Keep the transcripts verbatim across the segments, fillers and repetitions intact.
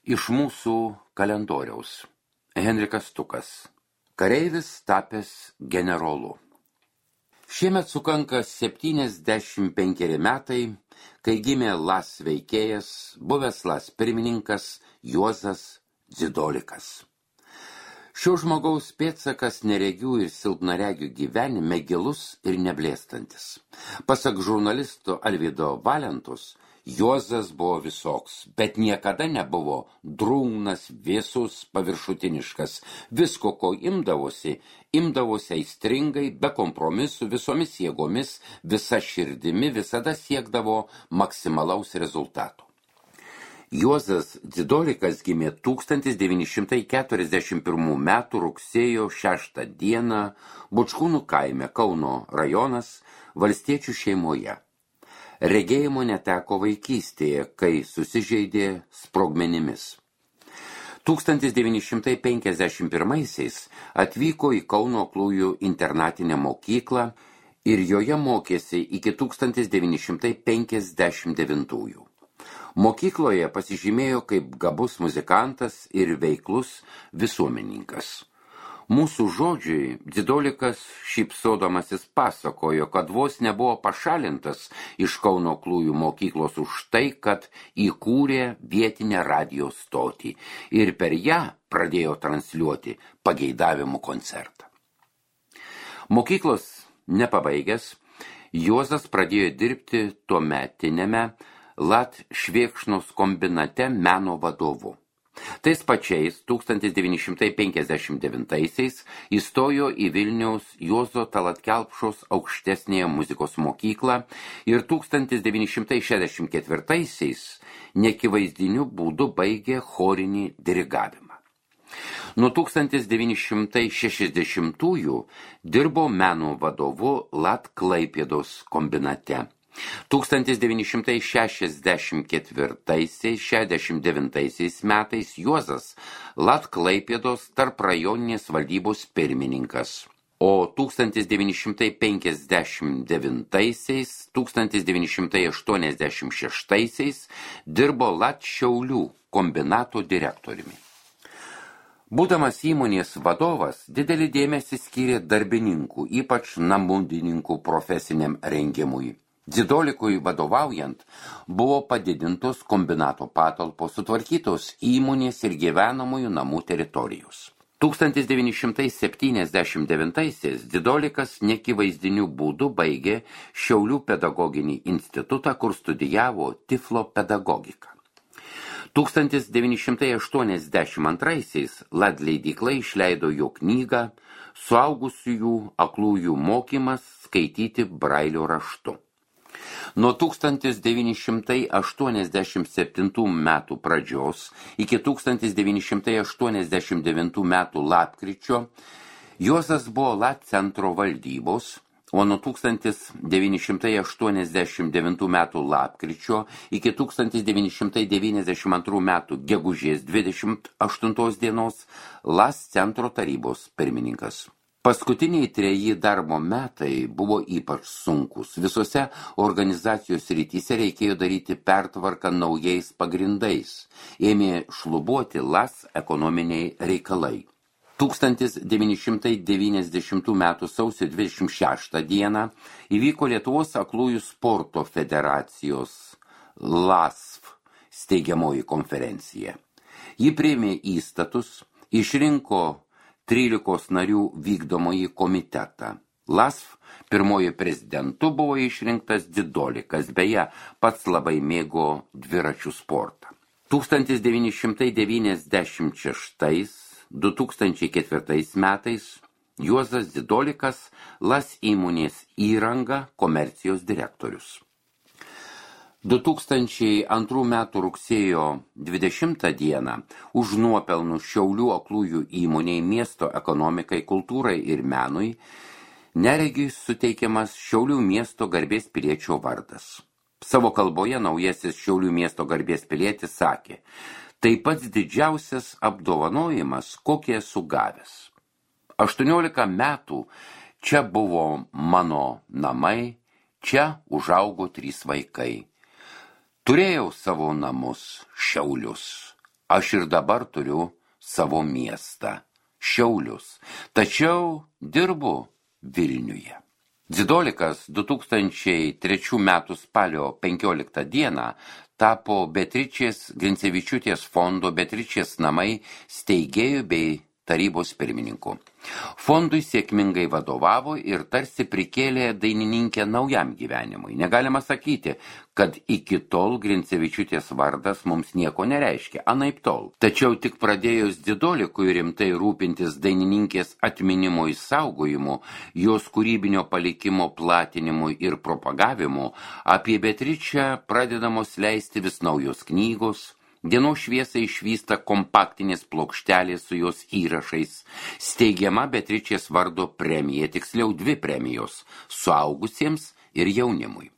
Iš mūsų kalendoriaus. Henrikas Stukas. Kareivis tapęs generolu. Šiemet sukanka septyniasdešimt penkeri metai, kai gimė Las veikėjas, buvęs Las pirmininkas Juozas Dzidolikas. Šio žmogaus pėdsakas neregių ir silpnaregių gyvenime gilus ir neblėstantis. Pasak žurnalisto Alvydo Valentos, Juozas buvo visoks, bet niekada nebuvo drungnas, vėsus, paviršutiniškas. Visko, ko imdavosi, imdavosi aistringai, be kompromisų, visomis jėgomis, visa širdimi, visada siekdavo maksimalaus rezultato. Juozas Dzidolikas gimė tūkstantis devyni šimtai keturiasdešimt pirmų metų rugsėjo šeštą dieną Bučkūnų kaime, Kauno rajonas, valstiečių šeimoje. Regėjimo neteko vaikystėje, kai susižeidė sprogmenimis. tūkstantis devyni šimtai penkiasdešimt pirmaisiais atvyko į Kauno aklųjų internatinę mokyklą ir joje mokėsi iki tūkstantis devyni šimtai penkiasdešimt devintųjų. Mokykloje pasižymėjo kaip gabus muzikantas ir veiklus visuomenininkas. Mūsų žodžiai Dzidolikas šypsodamasis pasakojo, kad vos nebuvo pašalintas iš Kauno aklųjų mokyklos už tai, kad įkūrė vietinę radijo stotį ir per ją pradėjo transliuoti pageidavimų koncertą. Mokyklos nepabaigęs, Juozas pradėjo dirbti tuometiniame Lat Švėkšnos kombinate meno vadovu. Tais pačiais tūkstantis devyni šimtai penkiasdešimt devintaisiais įstojo į Vilniaus Juozo Tallat Kelpšos aukštesnėje muzikos mokyklą ir tūkstantis devyni šimtai šešiasdešimt ketvirtaisiais nekivaizdiniu būdu baigė chorinį dirigavimą. Nuo tūkstantis devyni šimtai šešiasdešimtųjų dirbo meno vadovu Lat Klaipėdos kombinate. tūkstantis devyni šimtai šešiasdešimt ketvirtaisiais šešiasdešimt devintaisiais metais Juozas Lat Klaipėdos tarprajoninės valdybos pirmininkas, o tūkstantis devyni šimtai penkiasdešimt devintaisiais tūkstantis devyni šimtai aštuoniasdešimt šeštaisiais dirbo Lat Šiaulių kombinato direktoriumi. Būdamas įmonės vadovas, didelį dėmesį skyrė darbininkų, ypač namudininkų profesiniam rengimui. Dzidolikui vadovaujant buvo padidintos kombinato patalpos, sutvarkytos įmonės ir gyvenamųjų namų teritorijos. tūkstantis devyni šimtai septyniasdešimt devintaisiais Dzidolikas nekivaizdiniu būdu baigė Šiaulių pedagoginį institutą, kur studijavo tiflo pedagogiką. tūkstantis devyni šimtai aštuoniasdešimt antraisiais Lat leidykla išleido jo knygą Suaugusiųjų aklųjų mokymas skaityti brailio raštu. Nuo tūkstantis devyni šimtai aštuoniasdešimt septintų metų pradžios iki tūkstantis devyni šimtai aštuoniasdešimt devintų metų lapkričio Juozas buvo Lat centro valdybos, o nuo tūkstantis devyni šimtai aštuoniasdešimt devintų metų lapkričio iki tūkstantis devyni šimtai devyniasdešimt antrų metų gegužės dvidešimt aštuntos dienos Las centro tarybos pirmininkas. Paskutiniai treji darbo metai buvo ypač sunkus. Visose organizacijos rytise reikėjo daryti pertvarką naujais pagrindais. Ėmė šlubuoti Las ekonominiai reikalai. tūkstantis devyni šimtai devyniasdešimtų metų sausio dvidešimt šeštą dieną įvyko Lietuvos aklųjų sporto federacijos L A S F steigiamoji konferencija. Ji priėmė įstatus, išrinko trylikos narių vykdomąjį komitetą. L A S F pirmoji prezidentu buvo išrinktas Dzidolikas, beje, pats labai mėgo dviračių sportą. tūkstantis devyni šimtai devyniasdešimt šeštais du tūkstančiai ketvirtais metais Juozas Dzidolikas L A S įmonės įranga komercijos direktorius. du tūkstančiai antrų metų rugsėjo dvidešimtą dieną už nuopelnų Šiaulių aklųjų įmonei miesto ekonomikai, kultūrai ir menui neregiui suteikiamas Šiaulių miesto garbės piliečio vardas. Savo kalboje naujasis Šiaulių miesto garbės pilietis sakė: tai pats didžiausias apdovanojimas, kokį esu gavęs. aštuoniolika metų čia buvo mano namai, čia užaugo trys vaikai. Turėjau savo namus, Šiaulius. Aš ir dabar turiu savo miestą, Šiaulius, tačiau dirbu Vilniuje. Dzidolikas du tūkstančiai trečių metų spalio penkioliktą dieną tapo Beatričės Grincevičiūtės fondo Beatričės namai steigėjų bei tarybos pirmininku. Fondui sėkmingai vadovavo ir tarsi prikėlė dainininkę naujam gyvenimui. Negalima sakyti, kad iki tol Grincevičiūtės vardas mums nieko nereiškia, anaip tol. Tačiau tik pradėjus Dzidolikui rimtai rūpintis dainininkės atminimo išsaugojimu, jos kūrybinio palikimo platinimu ir propagavimu, apie Beatričę pradedamos leisti vis naujos knygos, dienos šviesą išvysta kompaktinės plokštelės su jos įrašais, steigiama Beatričės vardo premija, tiksliau dvi premijos – suaugusiems ir jaunimui.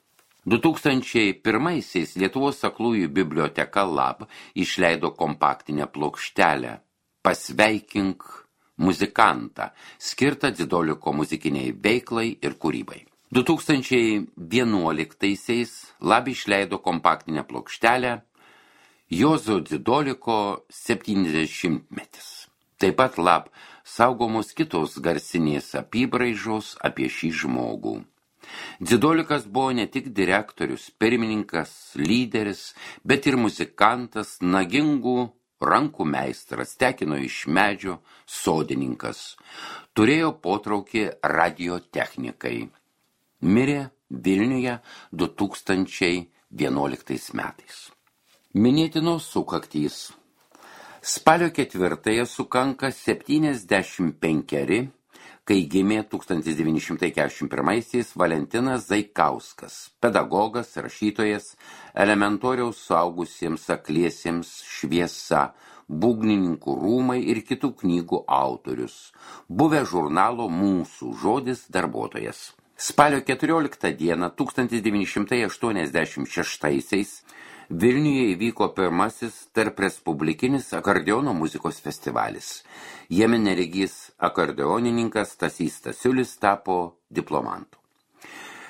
du tūkstančiai pirmaisiais Lietuvos aklųjų biblioteka Lab išleido kompaktinę plokštelę Pasveikink muzikantą, skirtą Dzidoliko muzikiniai veiklai ir kūrybai. du tūkstančiai vienuoliktaisiais Lab išleido kompaktinę plokštelę Juozo Dzidoliko septyniasdešimtmetis. Taip pat Lab saugomos kitos garsinės apybraižos apie šį žmogų. Dzidolikas buvo ne tik direktorius, pirmininkas, lyderis, bet ir muzikantas, nagingų rankų meistras, tekino iš medžio, sodininkas. Turėjo potraukį radiotechnikai. Mirė Vilniuje du tūkstančiai vienuoliktais metais. Minėtinos sukaktys. Spalio ketvirtąją sukanka septyniasdešimt penkeri, kai gimė tūkstantis devyni šimtai keturiasdešimt pirmaisiais Valentinas Zaikauskas, pedagogas, rašytojas, elementoriaus suaugusiems akliesiems šviesa, būgnininkų rūmai ir kitų knygų autorius, buvę žurnalo Mūsų žodis darbuotojas. Spalio keturioliktą dieną tūkstantis devyni šimtai aštuoniasdešimt šeštaisiais Vilniuje įvyko pirmasis tarp respublikinis akordeono muzikos festivalis. Jame neregys akordeonininkas Stasys Stasiulis tapo diplomantu.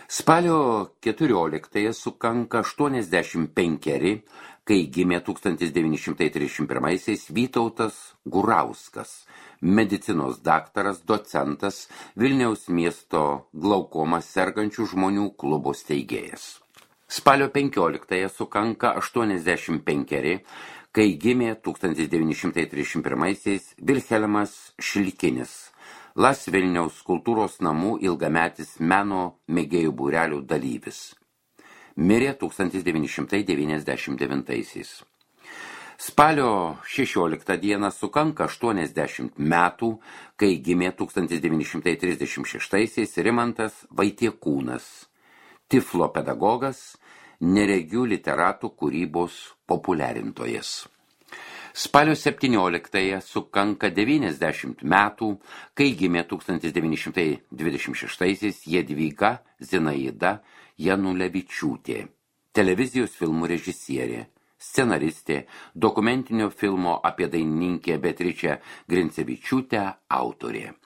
Spalio keturioliktąją sukanka aštuoniasdešimt penkeri, kai gimė tūkstantis devyni šimtai trisdešimt pirmaisiais Vytautas Gurauskas, medicinos daktaras, docentas, Vilniaus miesto glaukoma sergančių žmonių klubo steigėjas. Spalio penkioliktąją sukanka aštuoniasdešimt penkeri, kai gimė tūkstantis devyni šimtai trisdešimt pirmaisiais Vilhelmas Šilkinis, Las Vilniaus kultūros namų ilgametis meno mėgėjų būrelių dalyvis. Mirė tūkstantis devyni šimtai devyniasdešimt devintaisiais. Spalio šešioliktą dieną sukanka aštuoniasdešimt metų, kai gimė tūkstantis devyni šimtai trisdešimt šeštaisiais Rimantas Vaitiekūnas, Tiflo pedagogas, neregių literatų kūrybos populiarintojas. Spalio septynioliktąją sukanka devyniasdešimt metų, kai gimė tūkstantis devyni šimtai dvidešimt šeštaisiais Jadvyga Zinaida Janulevičiūtė, televizijos filmų režisierė, scenaristė, dokumentinio filmo apie dainininkę Beatričę Grincevičiūtę autorė.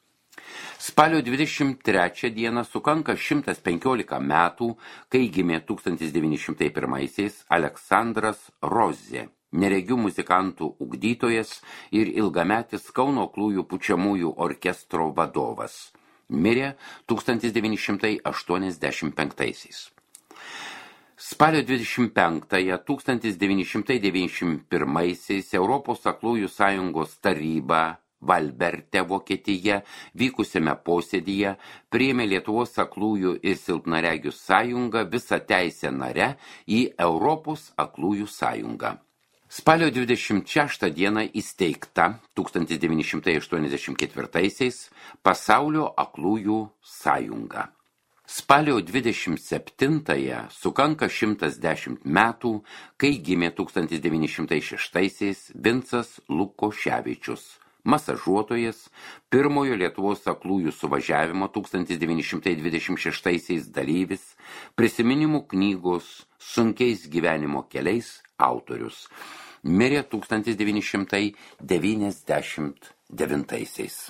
Spalio dvidešimt trečią dieną sukanka šimtas penkiolika metų, kai gimė tūkstantis devyni šimtai pirmaisiais Aleksandras Rozė, neregių muzikantų ugdytojas ir ilgametis Kauno aklųjų pučiamųjų orkestro vadovas. Mirė tūkstantis devyni šimtai aštuoniasdešimt penktaisiais. Spalio dvidešimt penktąją tūkstantis devyni šimtai devyniasdešimt pirmaisiais Europos aklųjų sąjungos taryba Valberte, Vokietija, vykusiame posėdyje priėmė Lietuvos aklųjų ir silpnaregių sąjungą visą teisę nare į Europos aklųjų sąjungą. Spalio dvidešimt šeštą dieną įsteigta tūkstantis devyni šimtai aštuoniasdešimt ketvirtaisiais Pasaulio aklųjų sąjunga. Spalio dvidešimt septintąją sukanka šimtas dešimt metų, kai gimė tūkstantis devyni šimtai šeštaisiais Vincas Lukoševičius, masažuotojas, pirmojo Lietuvos aklųjų suvažiavimo tūkstantis devyni šimtai dvidešimt šeštaisiais dalyvis, prisiminimų knygos Sunkiais gyvenimo keliais autorius. Mirė tūkstantis devyni šimtai devyniasdešimt devintaisiais.